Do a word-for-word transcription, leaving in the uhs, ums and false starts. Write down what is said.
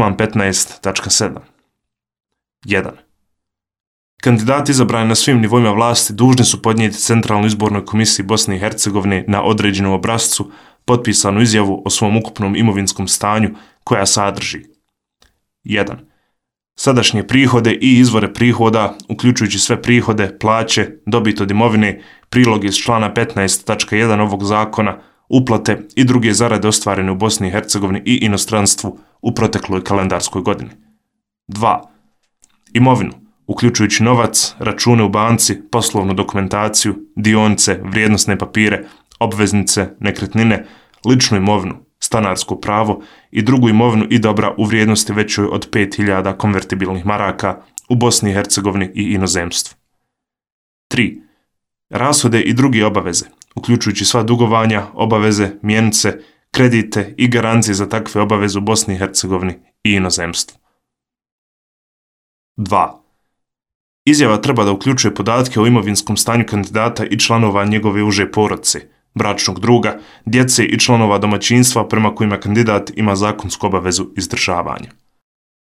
član petnaest tačka sedam. jedan. Kandidati izabrani na svim nivoima vlasti dužni su podnijeti Centralnoj izbornoj komisiji Bosne i Hercegovine na određenom obrascu potpisanu izjavu o svom ukupnom imovinskom stanju koja sadrži jedan. Sadašnje prihode i izvore prihoda, uključujući sve prihode, plaće, dobit od imovine, prilog iz člana petnaest tačka jedan ovog zakona, uplate i druge zarade ostvarene u Bosni i Hercegovini i inostranstvu u protekloj kalendarskoj godini. dva. Imovinu, uključujući novac, račune u banci, poslovnu dokumentaciju, dionice, vrijednosne papire, obveznice, nekretnine, ličnu imovinu, stanarsko pravo i drugu imovinu i dobra u vrijednosti većoj od pet hiljada konvertibilnih maraka u Bosni i Hercegovini i inozemstvu. tri. Rashode i druge obaveze, uključujući sva dugovanja, obaveze, mjenice, kredite i garancije za takve obaveze u Bosni i Hercegovini i inozemstvu. dva. Izjava treba da uključuje podatke o imovinskom stanju kandidata i članova njegove uže porodice, bračnog druga, djece i članova domaćinstva prema kojima kandidat ima zakonsku obavezu izdržavanja.